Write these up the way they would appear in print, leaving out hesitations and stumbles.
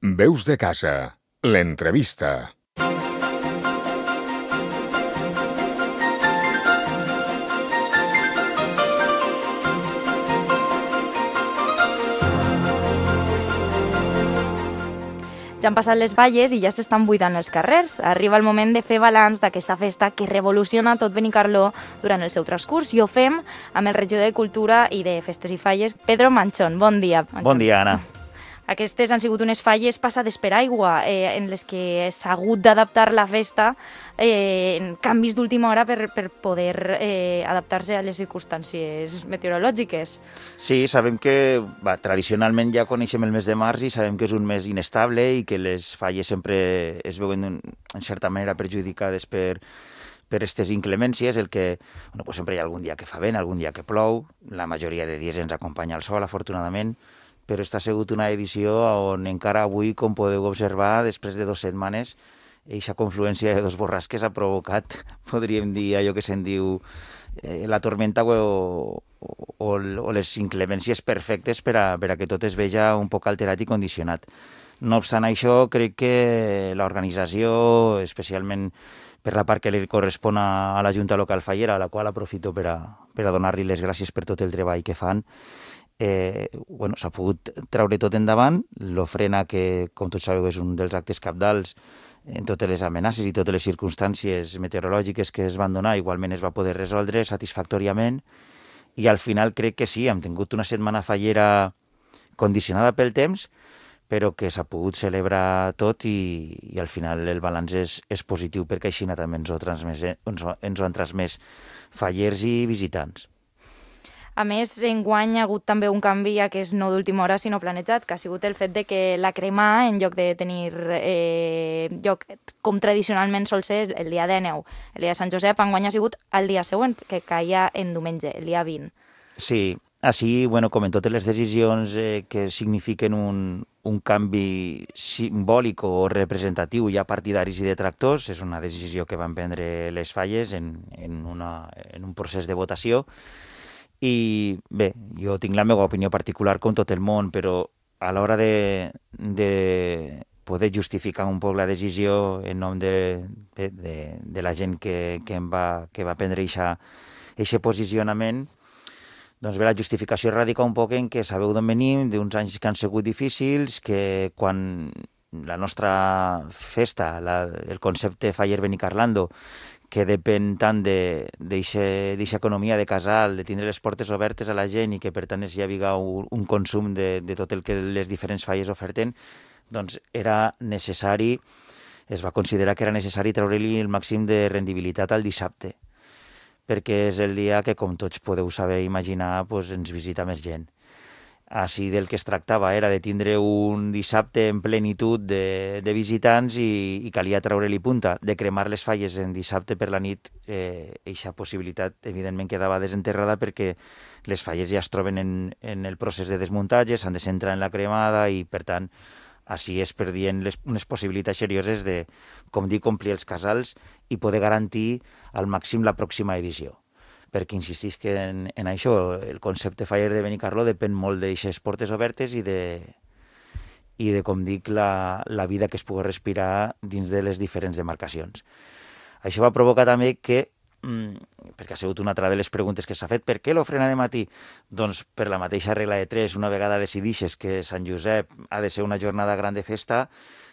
Veus de casa, l'entrevista. Ja han passat les Falles i ja s'estan buidant els carrers. Arriba el moment de fer balanç d'aquesta festa que revoluciona tot Benicarló durant el seu transcurs i ho fem amb el regidor de Cultura i de Festes i Falles, Pedro Manchón. Bon dia, Manchón. Bon dia, Anna. Aquestes han sigut unes falles passades per aigua, en les que s'ha hagut d'adaptar la festa en canvis d'última hora per poder adaptar-se a les circumstàncies meteorològiques. Sí, sabem que tradicionalment ja coneixem el mes de març i sabem que és un mes inestable i que les falles sempre es veuen en certa manera perjudicades per aquestes inclemències, pues sempre hi ha algun dia que fa vent, algun dia que plou, la majoria de dies ens acompanya el sol, afortunadament, però aquesta ha sigut una edició on encara avui, com podeu observar, després de 2 setmanes, aquesta confluència de 2 borrasques ha provocat, podríem dir, allò que se'n diu la tormenta o les inclemències perfectes per a que tot es veja un poc alterat i condicionat. No obstant això, crec que l'organització, especialment per la part que li correspon a la Junta Local Fallera, a la qual aprofito per a donar-li les gràcies per tot el treball que fan, s'ha pogut treure tot endavant. L'ofrena, que com tots sabeu és un dels actes cabdals en totes les amenaces i totes les circumstàncies meteorològiques que es van donar, igualment es va poder resoldre satisfactòriament i al final crec que sí, hem tingut una setmana fallera condicionada pel temps, però que s'ha pogut celebrar tot i al final el balanç és positiu perquè així també ens ho han transmès fallers i visitants. A més, enguany ha hagut també un canvi que és no d'última hora sinó planejat, que ha sigut el fet de que la crema, en lloc de tenir lloc com tradicionalment sol ser el dia 19, el dia de Sant Josep, enguany ha sigut el dia següent, que caia en diumenge, el dia 20. Sí, així, com en totes les decisions que signifiquen un canvi simbòlic o representatiu, hi ha partidaris i detractors, és una decisió que van prendre les falles en un procés de votació. I bé, jo tinc la meva opinió particular com tot el món, però a l'hora de poder justificar un poc la decisió en nom de la gent que va prendre aquest posicionament, doncs bé, la justificació radica un poc en que sabeu d'on venim, d'uns anys que han sigut difícils, que quan la nostra festa, el concepte Faller Benicarlando, que depèn tant d'aquesta economia de casal, de tindre les portes obertes a la gent i que per tant hi havia un consum de tot el que les diferents falles oferten, doncs era necessari, es va considerar que era necessari treure-li el màxim de rendibilitat al dissabte, perquè és el dia que, com tots podeu saber i imaginar, ens visita més gent. Així del que es tractava era de tindre un dissabte en plenitud de visitants i calia treure-li punta. De cremar les falles en dissabte per la nit, aquesta possibilitat evidentment quedava desenterrada perquè les falles ja es troben en el procés de desmuntatge, s'han de centrar en la cremada i, per tant, així es perdien unes possibilitats serioses de, com dic, omplir els casals i poder garantir al màxim la pròxima edició. Perquè insistisc que en això el concepte Faller de Benicarló depèn molt d'aixes portes obertes i de com dic, la vida que es pugui respirar dins de les diferents demarcacions. Això va provocar també que, perquè ha sigut una altra de les preguntes que s'ha fet, per què l'ofrena de matí? Doncs per la mateixa regla de 3, una vegada decidixes que Sant Josep ha de ser una jornada gran de festa,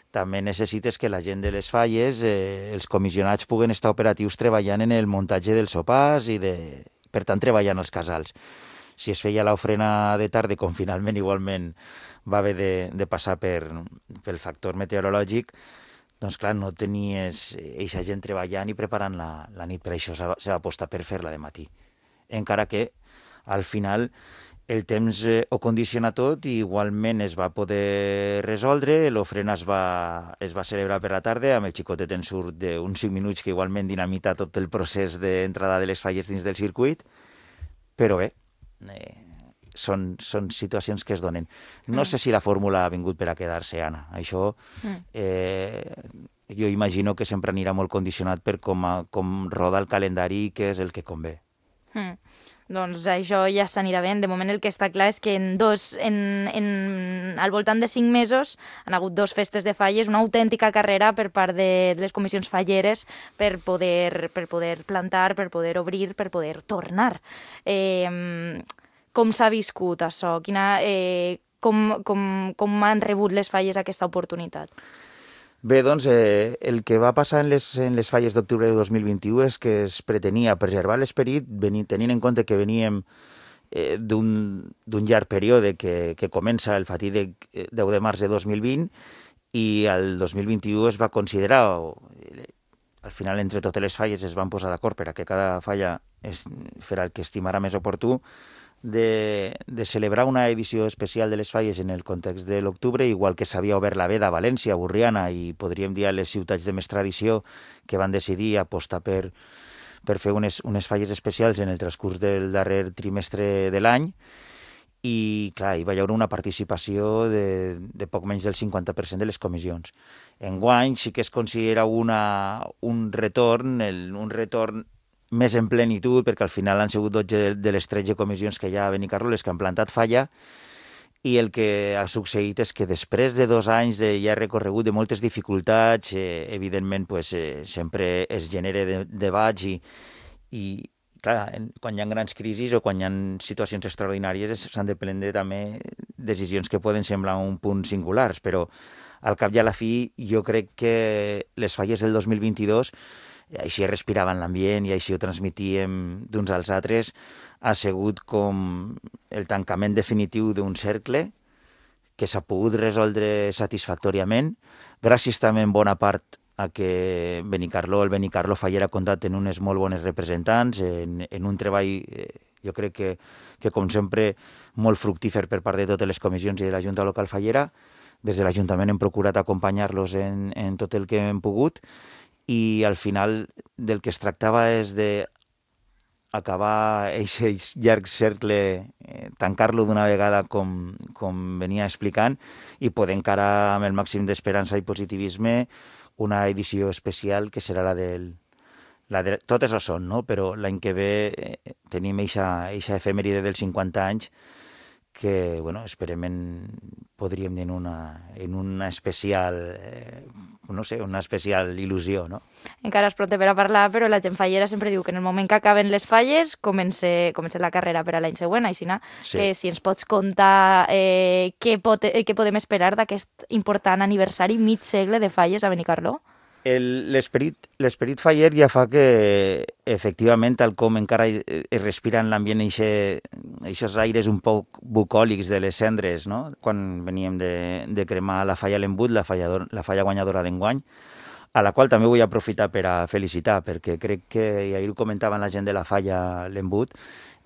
també necessites que la gent de les falles, els comissionats, puguen estar operatius treballant en el muntatge dels sopars i, per tant, treballant als casals. Si es feia l'ofrena de tarda, com finalment igualment va haver de passar pel factor meteorològic, doncs clar, no tenies eixa gent treballant i preparant la nit. Per això s'ha apostat per fer-la de matí. Encara que, al final, el temps ho condiciona tot i igualment es va poder resoldre, l'ofrena es va celebrar per la tarda, amb el xicotet en surt d'uns 5 minuts que igualment dinamita tot el procés d'entrada de les falles dins del circuit, però bé, són situacions que es donen. No sé si la fórmula ha vingut per a quedar-se, Anna. Això jo imagino que sempre anirà molt condicionat per com roda el calendari i què és el que convé. doncs això ja s'anirà bé. De moment el que està clar és que al voltant de 5 mesos han hagut 2 festes de falles, una autèntica carrera per part de les comissions falleres per poder plantar, per poder obrir, per poder tornar. Com s'ha viscut això? Com han rebut les falles aquesta oportunitat? Bé, doncs, el que va passar en les falles d'octubre de 2021 és que es pretenia preservar l'esperit, tenint en compte que veníem d'un llarg període que comença el fatídic 10 de març de 2020 i el 2021 es va considerar, al final entre totes les falles es van posar d'acord per a que cada falla farà el que estimarà més oportú, de celebrar una edició especial de les falles en el context de l'octubre, igual que s'havia obert la veda a València, a Borriana i podríem dir a les ciutats de més tradició que van decidir apostar per fer unes falles especials en el transcurs del darrer trimestre de l'any. I, clar, hi va haver una participació de poc menys del 50% de les comissions. Enguany sí que es considera un retorn més en plenitud, perquè al final han sigut 12 de les 13 comissions que hi ha a Benicarló les que han plantat falla, i el que ha succeït és que després de 2 anys de ja recorregut de moltes dificultats, evidentment sempre es genera debats i clar, quan hi ha grans crisis o quan hi ha situacions extraordinàries s'han de prendre també decisions que poden semblar un punt singulars, però al cap i a la fi jo crec que les falles del 2022 així respiraven l'ambient i així ho transmitíem d'uns als altres, ha sigut com el tancament definitiu d'un cercle que s'ha pogut resoldre satisfactòriament, gràcies també en bona part a que el Benicarló Faller ha comptat en unes molt bones representants, en un treball, jo crec que com sempre, molt fructífer per part de totes les comissions i de la Junta Local Fallera. Des de l'Ajuntament hem procurat acompanyar-los en tot el que hem pogut, i al final del que es tractava és d'acabar aquest llarg cercle, tancar-lo d'una vegada com venia explicant i poder encarar amb el màxim d'esperança i positivisme una edició especial que serà la del... Totes ho són, no? Però l'any que ve tenim eixa efemèride dels 50 anys que, bueno, esperem podríem dir en una especial, no sé, una especial il·lusió, no? Encara és pront per a parlar, però la gent fallera sempre diu que en el moment que acaben les falles comença la carrera per a l'any següent, així que si ens pots contar què podem esperar d'aquest important aniversari mig segle de falles a Benicarló? L'esperit faller ja fa que, efectivament, tal com encara es respira en l'ambient aquests aires un poc bucòlics de les cendres, no? Quan veníem de cremar la falla L'Embut, la falla guanyadora d'enguany, a la qual també vull aprofitar per a felicitar, perquè crec que, i ahir ho comentaven la gent de la falla L'Embut,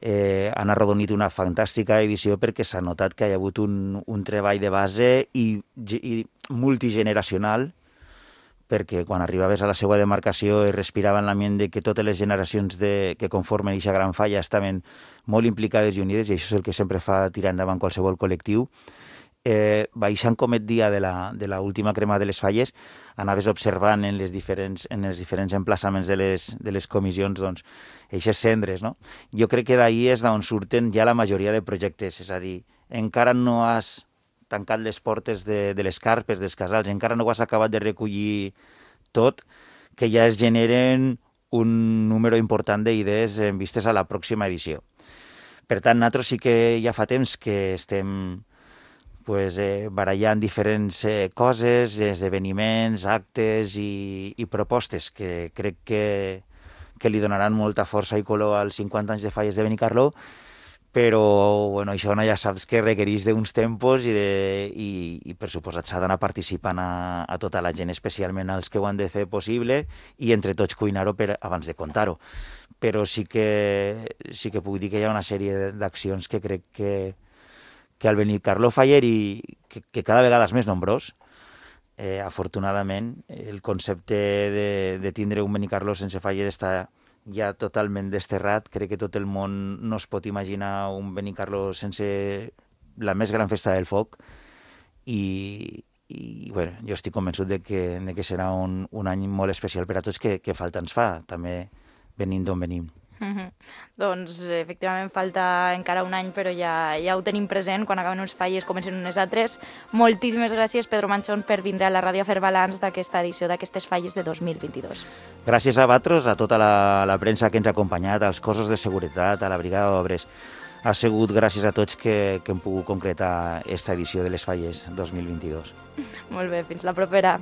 han arrodonit una fantàstica edició perquè s'ha notat que hi ha hagut un treball de base i multigeneracional, perquè quan arribaves a la seva demarcació es respirava en l'ambient de que totes les generacions que conformen aquesta gran falla estaven molt implicades i unides, i això és el que sempre fa tirar endavant qualsevol col·lectiu. Baixant com et dia de l'última crema de les falles, anaves observant en els diferents emplaçaments de les comissions, doncs, aquestes cendres, no? Jo crec que d'ahir és d'on surten ja la majoria de projectes, és a dir, encara no has tancat les portes de les carpes, dels casals, encara no ho has acabat de recollir tot, que ja es generen un número important d'idees en vistes a la pròxima edició. Per tant, nosaltres sí que ja fa temps que estem barallant diferents coses, esdeveniments, actes i propostes que crec que li donaran molta força i color als 50 anys de falles de Benicarló, però bueno, això ja saps que requereix d'uns tempos i per suposat s'ha d'anar participant a tota la gent, especialment als que ho han de fer possible, i entre tots cuinar-ho abans de contar-ho. Però sí que puc dir que hi ha una sèrie d'accions que crec que al Benicarló Faller i que cada vegada és més nombrós, afortunadament, el concepte de tindre un Benicarló sense Faller està ja totalment desterrat. Crec que tot el món no es pot imaginar un Benicarló sense la més gran festa del foc i bueno, jo estic convençut de que serà un any molt especial per a tots que falta ens fa, també venint d'on venim. Doncs, efectivament, falta encara un any, però ja ho tenim present. Quan acaben uns falles, comencen unes altres. Moltíssimes gràcies, Pedro Manchón, per vindre a la ràdio a fer balanç d'aquesta edició d'aquestes falles de 2022. Gràcies a vosaltres, a tota la premsa que ens ha acompanyat, als cossos de seguretat, a la brigada d'obres. Ha sigut gràcies a tots que hem pogut concretar aquesta edició de les falles 2022. Molt bé, fins la propera.